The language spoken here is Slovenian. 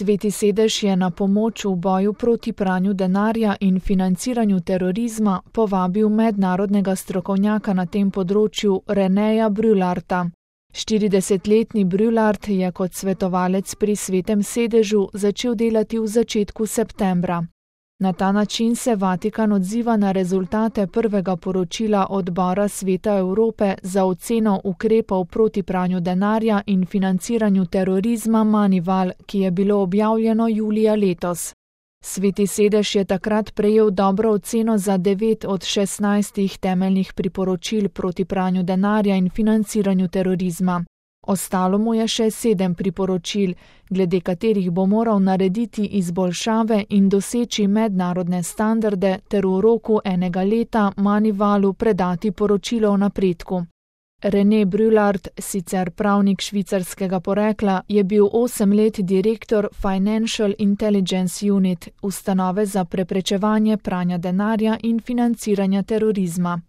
Sveti sedež je na pomoč v boju proti pranju denarja in financiranju terorizma povabil mednarodnega strokovnjaka na tem področju Renéja Brularta. 40-letni Brulart je kot svetovalec pri Svetem sedežu začel delati v začetku septembra. Na ta način se Vatikan odziva na rezultate prvega poročila Odbora Sveta Evrope za oceno ukrepov proti pranju denarja in financiranju terorizma Manival, ki je bilo objavljeno julija letos. Sveti sedež je takrat prejel dobro oceno za 9 od 16 temeljnih priporočil proti pranju denarja in financiranju terorizma. Ostalo mu je še 7 priporočil, glede katerih bo moral narediti izboljšave in doseči mednarodne standarde ter v roku 1 leta Manivalu predati poročilo o napredku. René Brulart, sicer pravnik švicarskega porekla, je bil 8 let direktor Financial Intelligence Unit, ustanove za preprečevanje pranja denarja in financiranja terorizma.